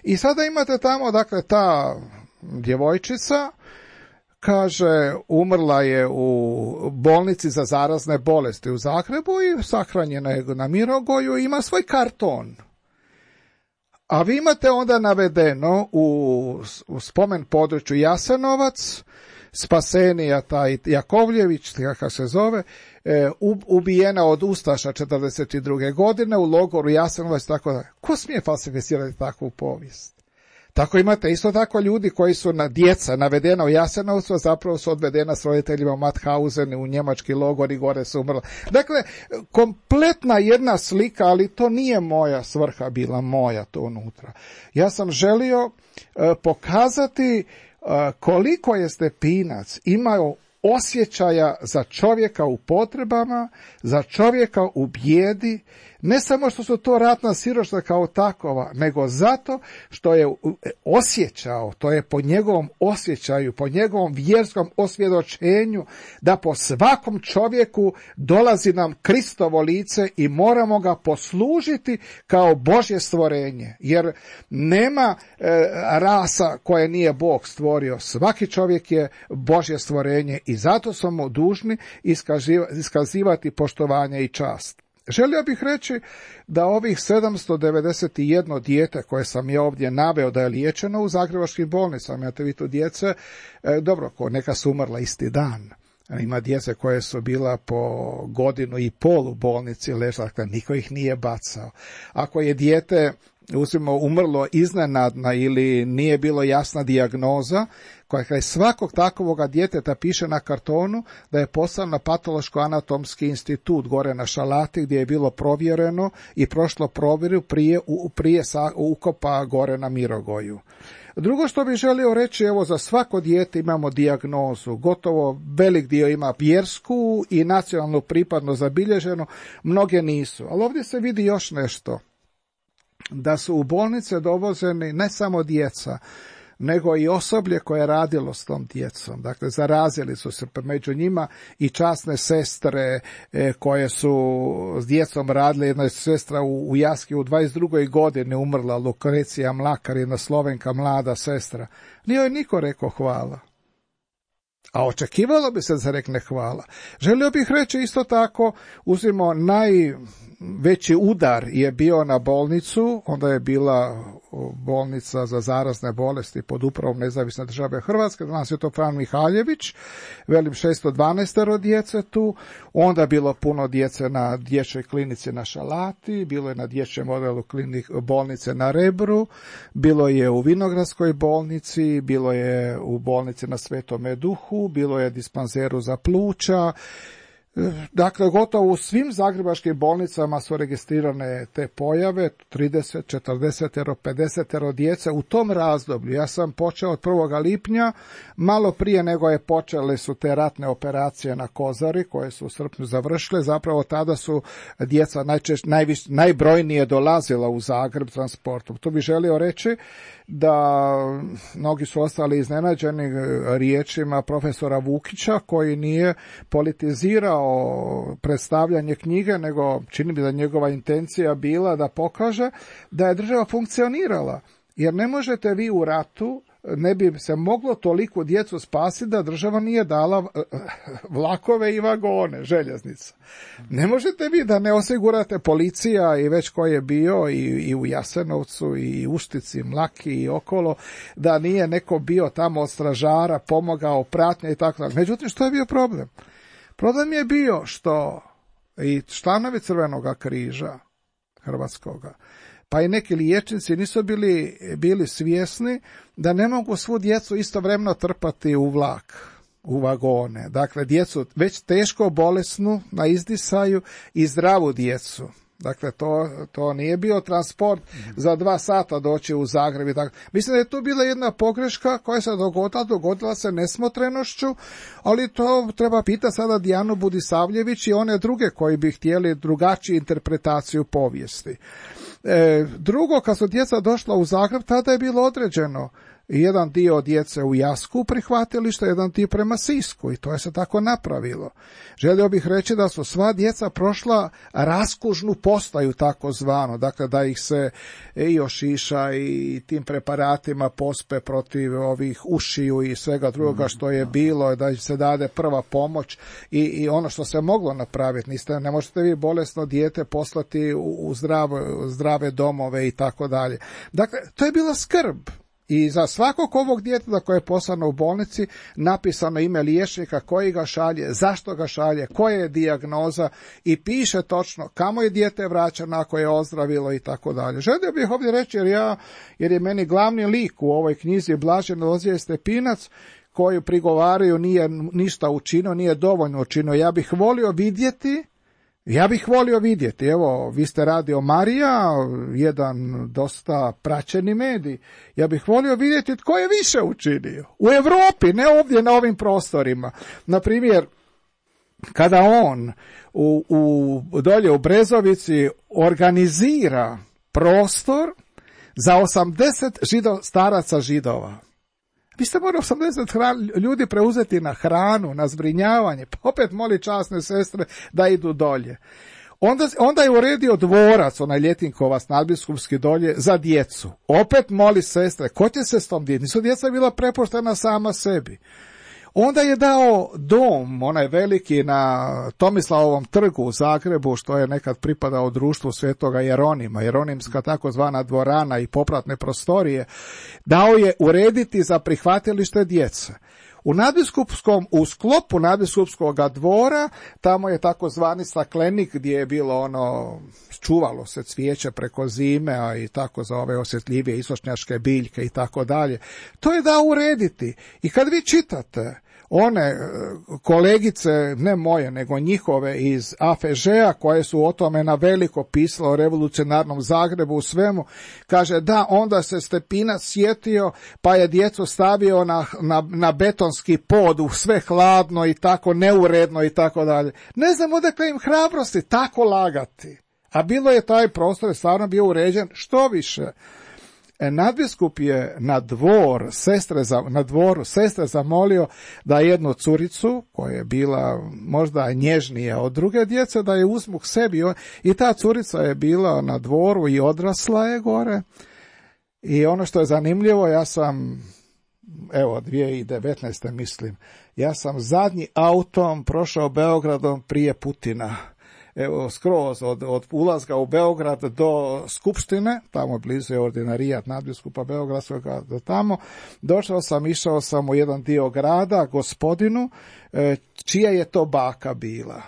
[SPEAKER 3] I sada imate tamo, dakle, ta djevojčica, kaže, umrla je u bolnici za zarazne bolesti u Zagrebu i sahranjena je na Mirogoju i ima svoj karton. A vi imate onda navedeno u spomen području Jasenovac, Spasenija, taj Jakovljević, kako se zove, ubijena od ustaša 1942. godine u logoru Jasenovac, tako da. Ko smije falsificirati takvu povijest? Tako imate isto tako ljudi koji su djeca navedena u Jasenovcu, a zapravo su odvedena s roditeljima u Mauthausen u njemački logor i gore su umrla. Dakle, kompletna jedna slika, ali to nije moja svrha bila, moja to unutra. Ja sam želio pokazati koliko je Stepinac imao osjećaja za čovjeka u potrebama, za čovjeka u bijedi, ne samo što su to ratna siromaštva kao takova, nego zato što je osjećao, to je po njegovom osjećaju, po njegovom vjerskom osvjedočenju, da po svakom čovjeku dolazi nam Kristovo lice i moramo ga poslužiti kao Božje stvorenje. Jer nema rasa koje nije Bog stvorio. Svaki čovjek je Božje stvorenje i zato smo mu dužni iskazivati poštovanje i čast. Želio bih reći da ovih 791 dijete koje sam ja ovdje naveo da je liječeno u zagrebačkim bolnicama, imate vi tu djece, dobro, neka su umrla isti dan. Ima djece koje su bila po 1,5 godine u bolnici ležala, dakle niko ih nije bacao. Ako je dijete umrlo iznenadna ili nije bilo jasna dijagnoza, koja je svakog takovoga djeteta piše na kartonu da je poslano na patološko-anatomski institut gore na Šalati gdje je bilo provjereno i prošlo provjeru prije ukopa gore na Mirogoju. Drugo što bih želio reći, evo za svako dijete imamo dijagnozu, gotovo velik dio ima vjersku i nacionalnu pripadnost zabilježeno, mnoge nisu. Ali ovdje se vidi još nešto. da su u bolnice dovozeni ne samo djeca, nego i osoblje koje je radilo s tom djecom. Dakle, zarazili su se među njima i časne sestre koje su s djecom radile. Jedna je sestra u Jaski u 22. godini umrla, Lukrecija Mlakar, jedna Slovenka, mlada sestra. Nije joj niko rekao hvala. A očekivalo bi se da se rekne hvala. Želio bih reći isto tako, uzimo najveći udar je bio na bolnicu, onda je bila bolnica za zarazne bolesti pod upravom Nezavisne države Hrvatske, danas je to Fran Mihaljević, velim 612 djece tu, onda bilo puno djece na dječjoj klinici na Šalati, bilo je na dječjem odjelu bolnice na Rebru, bilo je u Vinogradskoj bolnici, bilo je u bolnici na Svetome Duhu, bilo je dispanzeru za pluća. Dakle, gotovo u svim zagrebačkim bolnicama su registrirane te pojave, 30, 40, 50 djece u tom razdoblju. Ja sam počeo od 1. lipnja, malo prije nego je počele su te ratne operacije na Kozari, koje su u srpnju završile. Zapravo tada su djeca najbrojnije dolazila u Zagreb transportom. Tu bih želio reći da mnogi su ostali iznenađeni riječima profesora Vukića, koji nije politizirao predstavljanje knjige, nego čini mi da njegova intencija bila da pokaže da je država funkcionirala. Jer ne možete vi u ratu, ne bi se moglo toliko djecu spasiti da država nije dala vlakove i vagone, željeznica. Ne možete vi da ne osigurate policija i već ko je bio i u Jasenovcu i Uštici, Mlaki i okolo, da nije neko bio tamo od stražara, pomogao, pratnja i tako dalje. Međutim, što je bio problem? Problem je bio što i članovi Crvenoga križa Hrvatskoga, pa i neki liječnici nisu bili svjesni da ne mogu svu djecu istovremeno trpati u vlak, u vagone. Dakle, djecu već teško bolesnu na izdisaju i zdravu djecu. Dakle, to nije bio transport za 2 sata doći u Zagreb i tako. Mislim da je tu bila jedna pogreška koja se dogodila se nesmotrenošću, ali to treba pitati sada Dijanu Budisavljević i one druge koji bi htjeli drugačiju interpretaciju povijesti. Drugo, kad su djeca došla u Zagreb, tada je bilo određeno jedan dio djece u Jasku prihvatilište, jedan dio prema Sisku i to je se tako napravilo. Želio bih reći da su sva djeca prošla raskužnu postaju takozvanu, dakle da ih se i ošiša i tim preparatima pospe protiv ovih ušiju i svega drugoga što je bilo, da se dade prva pomoć i ono što se moglo napraviti. Ne možete vi bolesno dijete poslati u zdrave domove i tako dalje. Dakle, to je bila skrb. I za svakog ovog djeteta koje je poslano u bolnici napisano ime liječnika koji ga šalje, zašto ga šalje, koja je dijagnoza i piše točno kamo je dijete vraćano ako je ozdravilo i tako dalje. Želio bih ovdje reći jer je meni glavni lik u ovoj knjizi Blažen Lozije Stepinac, koju prigovaraju nije ništa učinio, nije dovoljno učinio. Ja bih volio vidjeti, evo, vi ste Radio Marija, jedan dosta praćeni medij, ja bih volio vidjeti tko je više učinio. U Europi, ne ovdje na ovim prostorima. Na primjer, kada on dolje u Brezovici organizira prostor za 80 staraca Židova. Vi ste morali 80 ljudi preuzeti na hranu, na zbrinjavanje, pa opet moli časne sestre da idu dolje. Onda je uredio dvorac, onaj Ljetinkovac, nadbiskupski dolje, za djecu. Opet moli sestre, ko će se s tom djecom? Nisu djeca bila prepuštena sama sebi. Onda je dao dom, onaj veliki na Tomislavovom trgu u Zagrebu, što je nekad pripadao društvu Svetoga Jeronima, Jeronimska takozvana dvorana i popratne prostorije, dao je urediti za prihvatilište djece. U sklopu nadbiskupskog dvora, tamo je takozvani staklenik gdje je bilo čuvalo se cvijeće preko zime, a i tako za ove osjetljivije istočnjačke biljke i tako dalje. To je dao urediti. I kad vi čitate one kolegice, ne moje, nego njihove iz AFŽ-a, koje su o tome na veliko pisale o revolucionarnom Zagrebu, u svemu, kaže da, onda se Stepinac sjetio, pa je djecu stavio na betonski pod, u sve hladno i tako neuredno i tako dalje. Ne znam odakle im hrabrosti tako lagati. A bilo je taj prostor, stvarno bio uređen, što više. Nadbiskup je na dvoru sestre zamolio da jednu curicu, koja je bila možda nježnija od druge djece, da je uzmu k sebi. I ta curica je bila na dvoru i odrasla je gore. I ono što je zanimljivo, ja sam, 2019. mislim, ja sam zadnji autom prošao Beogradom prije Putina. Skroz od ulaska u Beograd do Skupštine, tamo blizu je ordinarijat nadbiskupa Beogradskog, do tamo, išao sam u jedan dio grada, gospodinu, čija je to baka bila,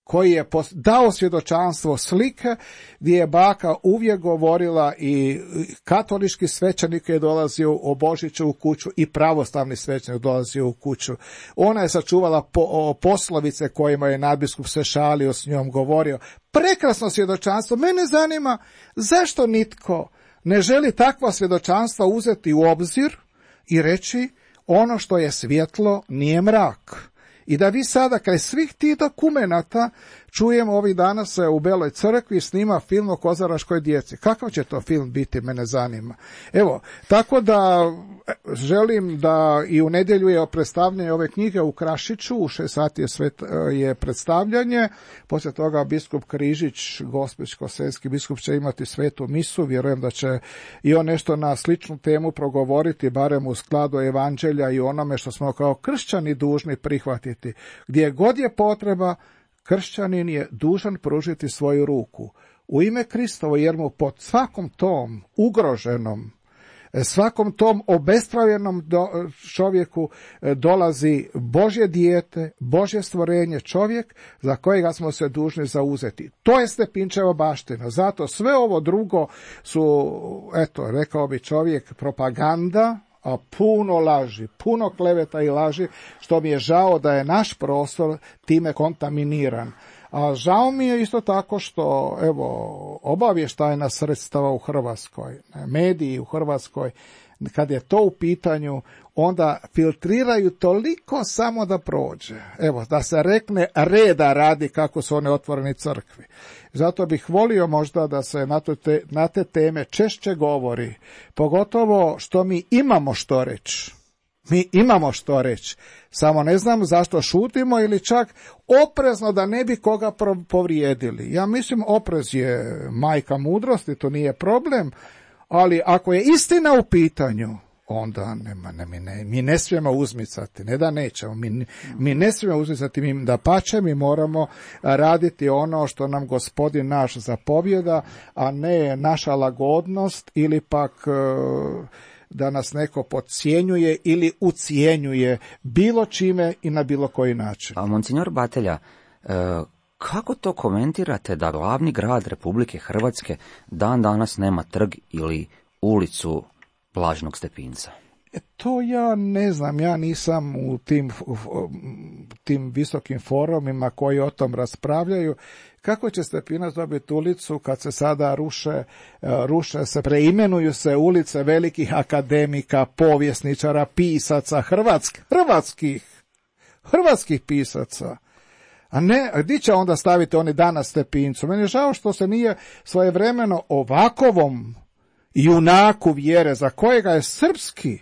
[SPEAKER 3] koji je dao svjedočanstvo slike, gdje je baka uvijek govorila i katolički svećenik je dolazio o Božiću u kuću i pravoslavni svećenik dolazio u kuću. Ona je sačuvala poslovice kojima je nadbiskup se šalio, s njom govorio. Prekrasno svjedočanstvo. Mene zanima zašto nitko ne želi takva svjedočanstva uzeti u obzir i reći ono što je svjetlo nije mrak. I da vi sada kraj svih tih dokumenata čujemo, ovih dana se u Beloj crkvi snima film o kozaraškoj djeci. Kakav će to film biti, mene zanima. Tako da želim da i u nedjelju je predstavljanje ove knjige u Krašiću, u 6 sati je predstavljanje, poslije toga biskup Križić, Gospić-Koseljski biskup, će imati svetu misu, vjerujem da će i on nešto na sličnu temu progovoriti, barem u skladu evanđelja i onome što smo kao kršćani dužni prihvatiti. Gdje god je potreba, kršćanin je dužan pružiti svoju ruku u ime Kristovo, jer mu pod svakom tom ugroženom, svakom tom obespravljenom čovjeku dolazi Božje dijete, Božje stvorenje, čovjek za kojega smo se dužni zauzeti. To je Stepinčeva baština. Zato sve ovo drugo su, rekao bi čovjek, propaganda, a puno laži, puno kleveta i laži, što mi je žao da je naš prostor time kontaminiran. A žao mi je isto tako što, obavještajna sredstva u Hrvatskoj, mediji u Hrvatskoj, kad je to u pitanju, onda filtriraju toliko samo da prođe. Da se rekne reda radi kako su one otvoreni crkvi. Zato bih volio možda da se na te teme češće govori, pogotovo što mi imamo što reći. Mi imamo što reći, samo ne znam zašto šutimo ili čak oprezno da ne bi koga povrijedili. Ja mislim, oprez je majka mudrosti, to nije problem, ali ako je istina u pitanju, onda mi ne smijemo uzmicati, ne da nećemo, mi ne smijemo uzmicati, dapače, mi moramo raditi ono što nam Gospodin naš zapovjeda, a ne naša lagodnost ili pak da nas neko podcjenjuje ili ucijenjuje bilo čime i na bilo koji način.
[SPEAKER 2] A monsignor Batelja, kako to komentirate da glavni grad Republike Hrvatske dan danas nema trg ili ulicu Blaženog Stepinca?
[SPEAKER 3] To ja ne znam, ja nisam u tim visokim forumima koji o tom raspravljaju. Kako će Stepinac dobiti ulicu kad se sada ruše se, preimenuju se ulice velikih akademika, povjesničara, pisaca, hrvatskih pisaca? A ne, gdje će onda staviti oni danas Stepincu? Meni je žao što se nije svojevremeno ovakovom junaku vjere, za kojega je srpski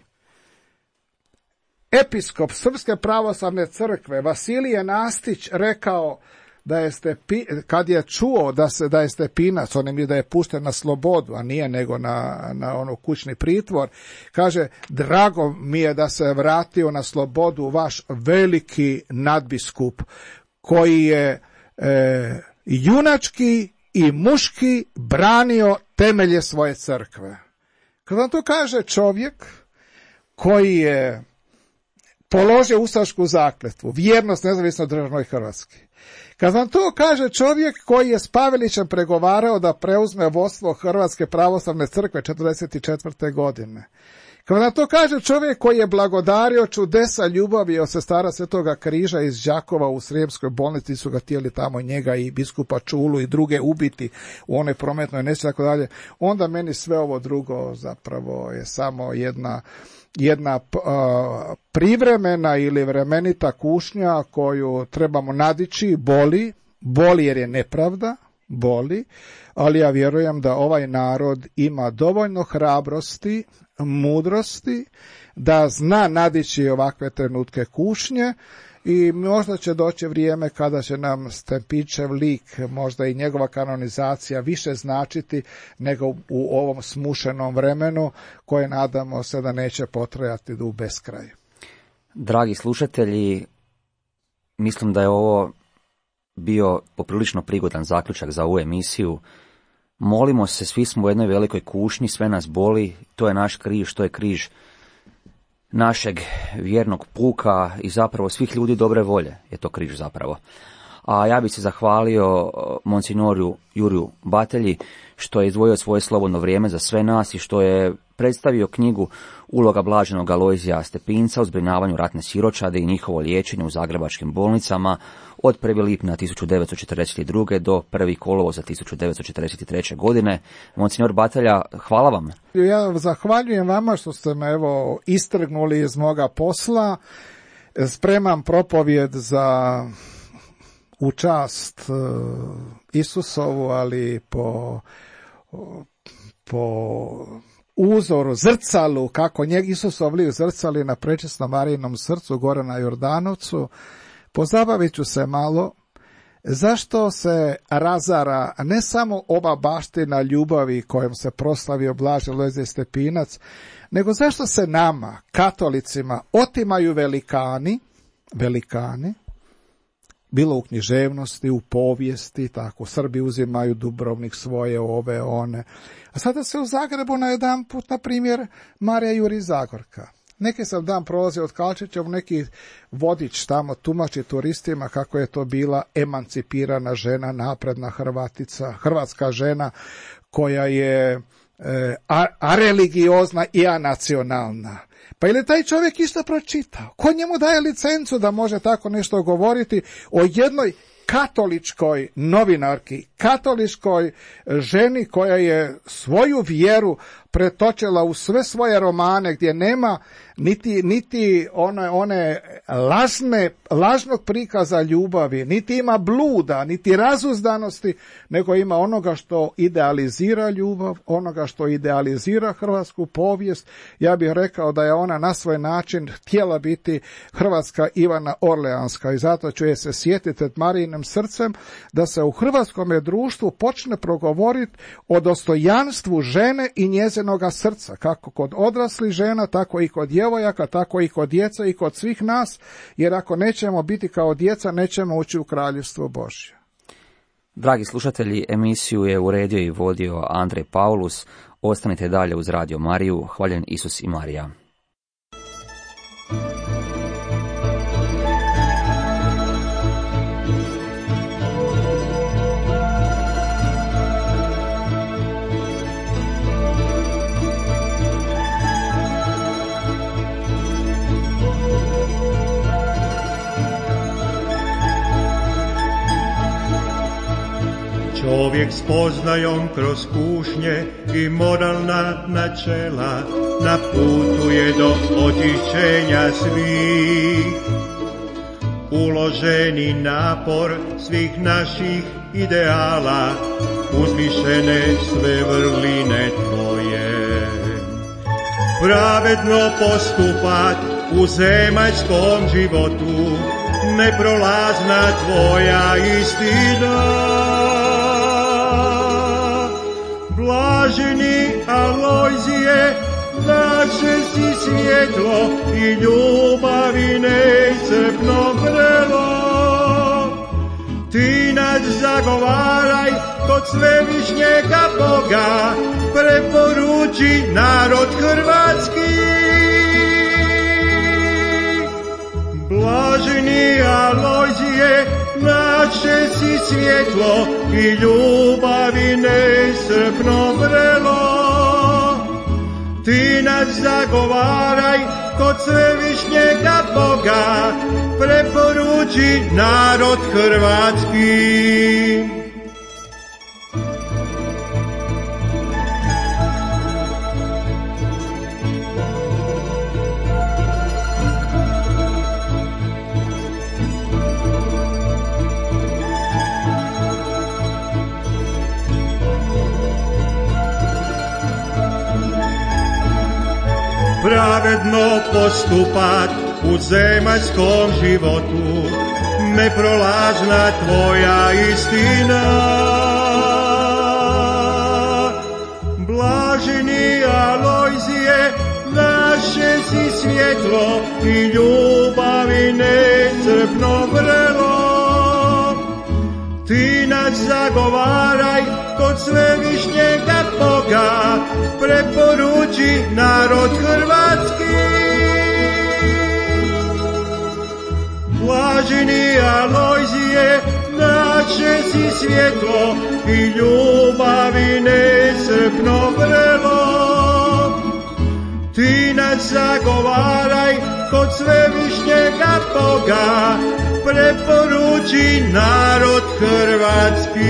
[SPEAKER 3] episkop Srpske pravoslavne crkve Vasilije Nastić rekao da je kad je čuo da je Stepinac, on je da je pušten na slobodu, a nije nego na ono kućni pritvor, kaže, drago mi je da se vratio na slobodu vaš veliki nadbiskup, koji je junački i muški branio temelje svoje crkve. Kad vam to kaže čovjek koji je položio ustašku zakletvu, vjernost nezavisno državnoj Hrvatski. Kad vam to kaže čovjek koji je s Pavelićem pregovarao da preuzme vodstvo Hrvatske pravoslavne crkve 1944. godine. Kad vam to kaže čovjek koji je blagodario čudesa ljubavi od sestara Svetoga križa iz Đakova u Srijemskoj bolnici, su ga htjeli tamo njega i biskupa Čulu i druge ubiti u onoj prometnoj nesreći, tako dalje, onda meni sve ovo drugo zapravo je samo jedna privremena ili vremenita kušnja koju trebamo nadići, boli jer je nepravda, boli, ali ja vjerujem da ovaj narod ima dovoljno hrabrosti, mudrosti, da zna nadići ovakve trenutke kušnje i možda će doći vrijeme kada će nam Stepinčev lik, možda i njegova kanonizacija više značiti nego u ovom smušenom vremenu koje nadamo se da neće potrajati do beskraj.
[SPEAKER 2] Dragi slušatelji, mislim da je ovo bio poprilično prigodan zaključak za ovu emisiju. Molimo se, svi smo u jednoj velikoj kušnji, sve nas boli, to je naš križ, to je križ našeg vjernog puka i zapravo svih ljudi dobre volje je to križ zapravo. A ja bih se zahvalio monsignoru Juriju Batelji što je izdvojio svoje slobodno vrijeme za sve nas i što je predstavio knjigu Uloga blaženog Alojzija Stepinca u zbrinjavanju ratne siročade i njihovo liječenje u zagrebačkim bolnicama od 1. lipnja 1942. do 1. kolovoza 1943. godine. Monsignor Batelja, hvala vam.
[SPEAKER 3] Ja zahvaljujem vama što ste me istrgnuli iz moga posla. Spremam propovjed za u čast Isusovu, ali po uzoru, zrcalu, kako Isusov lik zrcali na prečistom Marijinom srcu gore na Jordanovcu. Pozabavit ću se malo zašto se razara ne samo ova baština ljubavi kojom se proslavio Blaž Alojzije Stepinac, nego zašto se nama, katolicima, otimaju velikani, bilo u književnosti, u povijesti, tako, Srbi uzimaju Dubrovnik svoje, ove, one. A sada se u Zagrebu na jedan put, na primjer, Marija Juri Zagorka. Neki sam dan prolazio od Kalčića, neki vodič tamo tumači turistima kako je to bila emancipirana žena, napredna hrvatska žena koja je areligiozna i anacionalna. Pa je li taj čovjek isto pročitao? Ko njemu daje licencu da može tako nešto govoriti o jednoj katoličkoj novinarki, katoličkoj ženi koja je svoju vjeru pretočila u sve svoje romane gdje nema niti one lažnog prikaza ljubavi, niti ima bluda, niti razuzdanosti, nego ima onoga što idealizira ljubav, onoga što idealizira hrvatsku povijest. Ja bih rekao da je ona na svoj način htjela biti hrvatska Ivana Orleanska i zato ću je se sjetiti Marijinim srcem da se u hrvatskom društvu počne progovoriti o dostojanstvu žene i njezinoga srca, kako kod odraslih žena, tako i kod djevojaka, tako i kod djece i kod svih nas, jer ako nećemo biti kao djeca, nećemo ući u kraljevstvo Božje.
[SPEAKER 2] Dragi slušatelji, emisiju je uredio i vodio Andrej Paulus. Ostanite dalje uz Radio Mariju. Hvaljen Isus i Marija.
[SPEAKER 4] Čovjek spoznajom kroz kušnje i moralna načela na putu je do očišćenja svih. Uloženi napor svih naših ideala, uzvišene sve vrline tvoje. Pravedno postupat u zemaljskom životu, neprolazna tvoja istina. Blaženi Alojzije, naše si svjetlo i ljubavi neiscrpno vrelo. Ti nas zagovaraj kod svevišnjega Boga, preporuči narod hrvatski. Blaženi Alojzije, naše si svjetlo i ljubavi neiscrpno vrelo. Ti nas zagovaraj kod svevišnjega Boga, preporuči narod hrvatski. pravedno postupat u zemaljskom životu, neprolazna tvoja istina. Blaženi Alojzije, naše si svjetlo i ljubavi necrpno vrelo. Ti nas zagovaraj kod svevišnjega Boga, preporuči narod hrvatski. Blaženi Alojzije, naše si svjetlo i ljubavi nesrpno vrelo. Ti nas zagovaraj kod svevišnjega Boga, preporuči narod hrvatski.